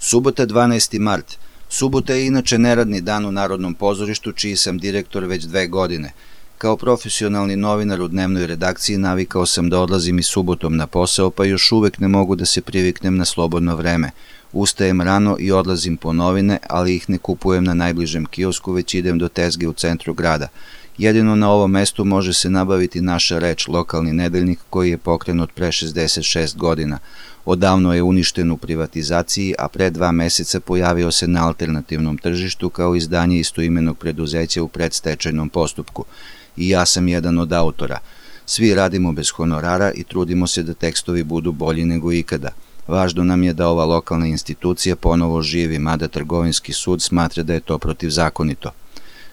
Subota 12. mart. Subota je inače neradni dan u Narodnom pozorištu, čiji sam direktor već 2 godine. Kao profesionalni novinar u dnevnoj redakciji navikao sam da odlazim i subotom na posao, pa još uvek ne mogu da se priviknem na slobodno vreme. Ustajem rano i odlazim po novine, ali ih ne kupujem na najbližem kiosku, već idem do tezge u centru grada. Jedino na ovom mestu može se nabaviti Naša reč, lokalni nedeljnik koji je pokrenut pre 66 godina. Odavno je uništen u privatizaciji, a pre 2 meseca pojavio se na alternativnom tržištu kao izdanje istoimenog preduzeća u predstečajnom postupku. I ja sam jedan od autora. Svi radimo bez honorara i trudimo se da tekstovi budu bolji nego ikada. Važno nam je da ova lokalna institucija ponovo živi, mada trgovinski sud smatra da je to protivzakonito.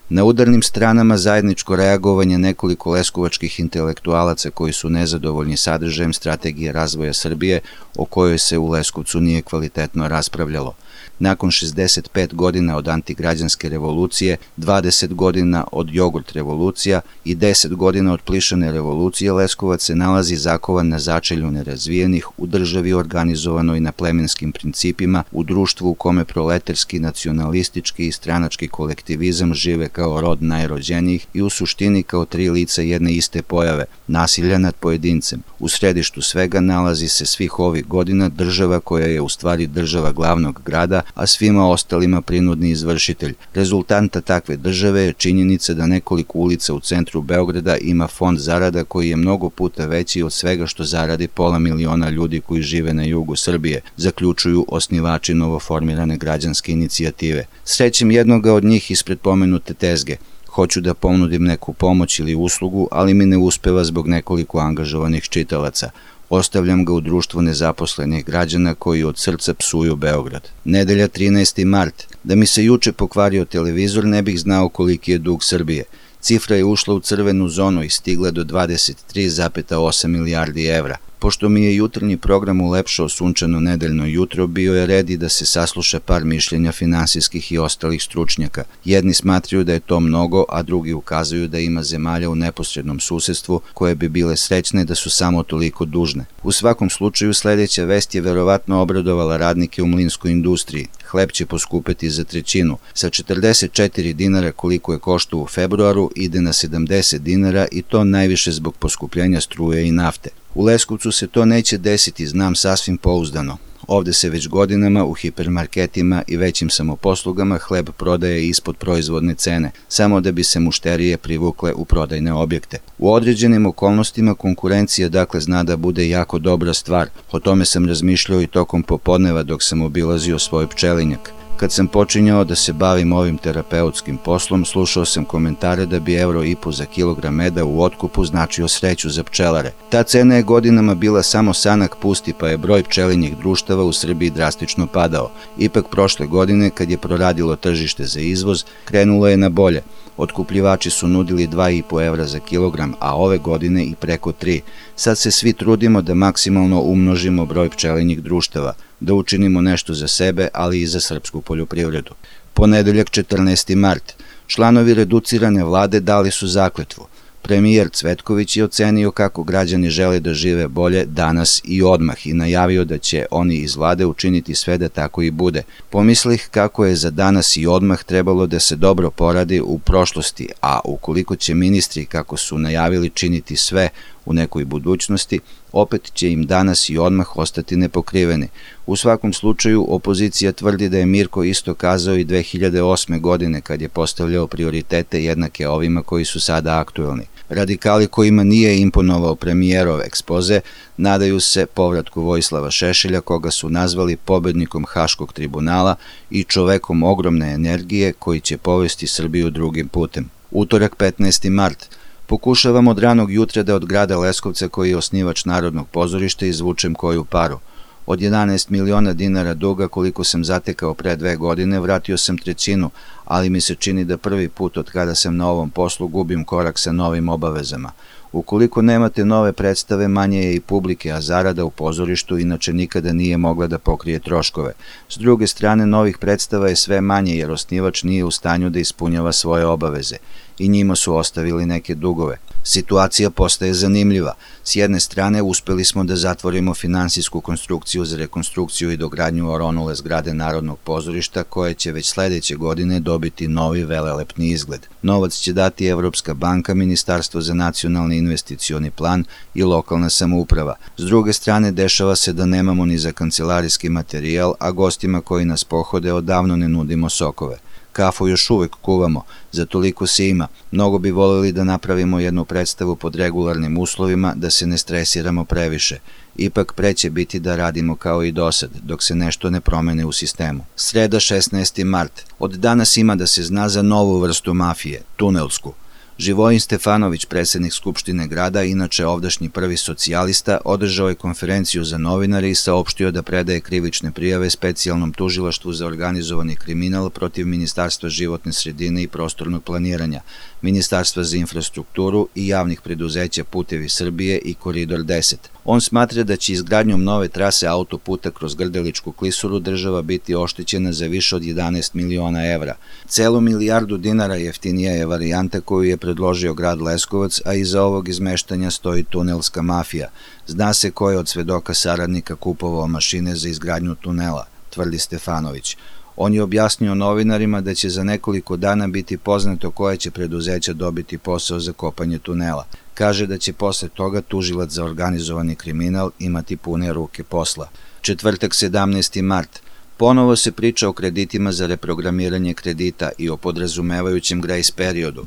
Na udarnim stranama zajedničko reagovanje nekoliko leskovačkih intelektualaca koji su nezadovoljni sadržajem strategije razvoja Srbije, o kojoj se u Leskovcu nije kvalitetno raspravljalo. Nakon 65 godina od antigrađanske revolucije, 20 godina od jogurt revolucija i 10 godina od plišane revolucije, Leskovac se nalazi zakovan na začelju nerazvijenih, u državi organizovanoj na plemenskim principima, u društvu u kome proletarski, nacionalistički i stranački kolektivizam žive kao rod najrođenijih i u suštini kao 3 lica jedne iste pojave, nasilja nad pojedincem. U središtu svega nalazi se svih ovih godina država koja je u stvari država glavnog grada, a svima ostalima prinudni izvršitelj. Rezultanta takve države je činjenica da nekoliko ulica u centru Beograda ima fond zarada koji je mnogo puta veći od svega što zaradi 500.000 ljudi koji žive na jugu Srbije, zaključuju osnivači novoformirane građanske inicijative. Srećem jednoga od njih ispred pomenute tezge. Hoću da ponudim neku pomoć ili uslugu, ali mi ne uspeva zbog nekoliko angažovanih čitalaca. Ostavljam ga u društvu nezaposlenih građana koji od srca psuju Beograd. Nedelja 13. mart. Da mi se juče pokvario televizor, ne bih znao koliki je dug Srbije. Cifra je ušla u crvenu zonu i stigla do 23,8 milijardi evra. Pošto mi je jutarnji program ulepšao sunčano nedeljno jutro, bio je red i da se sasluša par mišljenja finansijskih i ostalih stručnjaka. Jedni smatraju da je to mnogo, a drugi ukazuju da ima zemalja u neposrednom susedstvu koje bi bile srećne da su samo toliko dužne. U svakom slučaju, sledeća vest je verovatno obradovala radnike u mlinskoj industriji. Hleb će poskupeti za 1/3. Sa 44 dinara koliko je koštao u februaru ide na 70 dinara i to najviše zbog poskupljenja struje i nafte. U Leskovcu se to neće desiti, znam sasvim pouzdano. Ovde se već godinama u hipermarketima i većim samoposlugama hleb prodaje ispod proizvodne cene, samo da bi se mušterije privukle u prodajne objekte. U određenim okolnostima konkurencija dakle zna da bude jako dobra stvar. O tome sam razmišljao i tokom popodneva dok sam obilazio svoj pčelinjak. Kad sam počinjao da se bavim ovim terapeutskim poslom, slušao sam komentare da bi 1,5 € za kilogram meda u otkupu značio sreću za pčelare. Ta cena je godinama bila samo sanak pusti, pa je broj pčelinjih društava u Srbiji drastično padao. Ipak prošle godine, kad je proradilo tržište za izvoz, krenulo je na bolje. Otkupljivači su nudili 2,5 € za kilogram, a ove godine i preko 3. Sad se svi trudimo da maksimalno umnožimo broj pčelinjih društava, da učinimo nešto za sebe, ali i za srpsku poljoprivredu. Ponedeljak 14. mart. Članovi reducirane vlade dali su zakletvu. Premijer Cvetković je ocenio kako građani žele da žive bolje danas i odmah i najavio da će oni iz vlade učiniti sve da tako i bude. Pomislih kako je za danas i odmah trebalo da se dobro poradi u prošlosti, a ukoliko će ministri, kako su najavili, činiti sve u nekoj budućnosti, opet će im danas i odmah ostati nepokriveni. U svakom slučaju, opozicija tvrdi da je Mirko isto kazao i 2008. godine kad je postavljao prioritete jednake ovima koji su sada aktuelni. Radikali kojima nije imponovao premijerov ekspoze nadaju se povratku Vojislava Šešelja, koga su nazvali pobednikom Haškog tribunala i čovekom ogromne energije koji će povesti Srbiju drugim putem. Utorak 15. mart. Pokušavam od ranog jutra da od grada Leskovca, koji je osnivač Narodnog pozorišta, izvučem koju paru. Od 11 miliona dinara duga koliko sam zatekao pre 2 godine, vratio sam 1/3, ali mi se čini da prvi put od kada sam na ovom poslu gubim korak sa novim obavezama. Ukoliko nemate nove predstave, manje je i publike, a zarada u pozorištu inače nikada nije mogla da pokrije troškove. S druge strane, novih predstava je sve manje jer osnivač nije u stanju da ispunjava svoje obaveze i njima su ostavili neke dugove. Situacija postaje zanimljiva. S jedne strane, uspeli smo da zatvorimo finansijsku konstrukciju za rekonstrukciju i dogradnju oronule zgrade Narodnog pozorišta, koje će već sledeće godine dobiti novi velelepni izgled. Novac će dati Evropska banka, Ministarstvo za nacionalni investicioni plan i lokalna samouprava. S druge strane, dešava se da nemamo ni za kancelarijski materijal, a gostima koji nas pohode odavno ne nudimo sokove. Kafu još uvek kuvamo, za toliko se ima. Mnogo bi voleli da napravimo jednu predstavu pod regularnim uslovima, da se ne stresiramo previše. Ipak preće biti da radimo kao i dosad, dok se nešto ne promene u sistemu. Sreda 16. mart. Od danas ima da se zna za novu vrstu mafije, tunelsku. Živojin Stefanović, predsednik Skupštine grada, inače ovdašnji prvi socijalista, održao je konferenciju za novinare i saopštio da predaje krivične prijave specijalnom tužilaštvu za organizovani kriminal protiv Ministarstva životne sredine i prostornog planiranja, Ministarstva za infrastrukturu i javnih preduzeća Putevi Srbije i Koridor 10. On smatra da će izgradnjom nove trase autoputa kroz Grdeličku klisuru država biti oštećena za više od 11 miliona evra. Celu milijardu dinara jeftinija je varijanta koju je predložio grad Leskovac, a iza ovog izmeštanja stoji tunelska mafija. Zna se ko je od svedoka saradnika kupovao mašine za izgradnju tunela, tvrdi Stefanović. On je objasnio novinarima da će za nekoliko dana biti poznato koje će preduzeća dobiti posao za kopanje tunela. Kaže da će posle toga tužilac za organizovani kriminal imati pune ruke posla. Četvrtak 17. mart. Ponovo se priča o kreditima za reprogramiranje kredita i o podrazumevajućem grace periodu.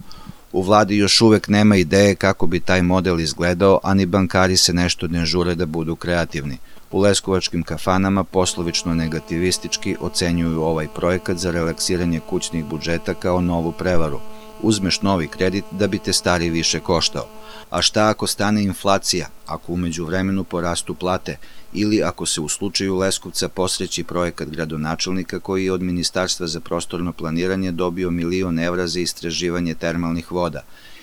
U vladi još uvek nema ideje kako bi taj model izgledao, a ni bankari se nešto ne žure da budu kreativni. U leskovačkim kafanama poslovično negativistički ocenjuju ovaj projekat za relaksiranje kućnih budžeta kao novu prevaru. Uzmeš novi kredit da bi te stari više koštao. A šta ako stane inflacija, ako u međuvremenu porastu plate, ili ako se u slučaju Leskovca posreći projekat gradonačelnika koji je od Ministarstva za prostorno planiranje dobio 1 milion evra za istraživanje termalnih voda.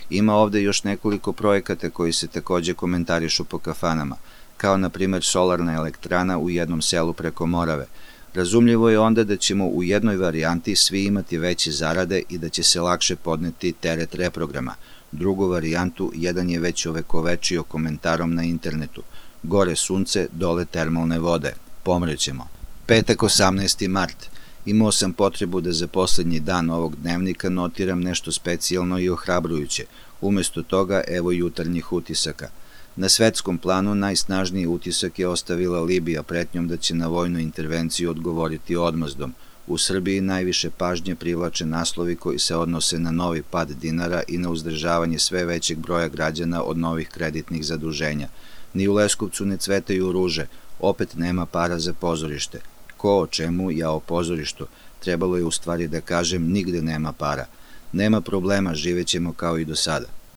Ima ovde još nekoliko projekata koji se takođe komentarišu po kafanama, kao na primer solarna elektrana u jednom selu preko Morave. Razumljivo je onda da ćemo u jednoj varijanti svi imati veće zarade i da će se lakše podneti teret reprograma. Drugu varijantu jedan je već ovekovečio komentarom na internetu. Gore sunce, dole termalne vode. Pomrećemo. Petak 18. mart. Imao sam potrebu da za poslednji dan ovog dnevnika notiram nešto specijalno i ohrabrujuće. Umesto toga, evo jutarnjih utisaka. Na svetskom planu najsnažniji utisak je ostavila Libija pretnjom da će na vojnu intervenciju odgovoriti odmazdom. U Srbiji najviše pažnje privlače naslovi koji se odnose na novi pad dinara i na uzdržavanje sve većeg broja građana od novih kreditnih zaduženja. Ni u Leskovcu ne cvetaju ruže, opet nema para za pozorište. Ko o čemu, ja o pozorištu. Trebalo je u stvari da kažem, nigde nema para. Nema problema, živećemo kao i do sada.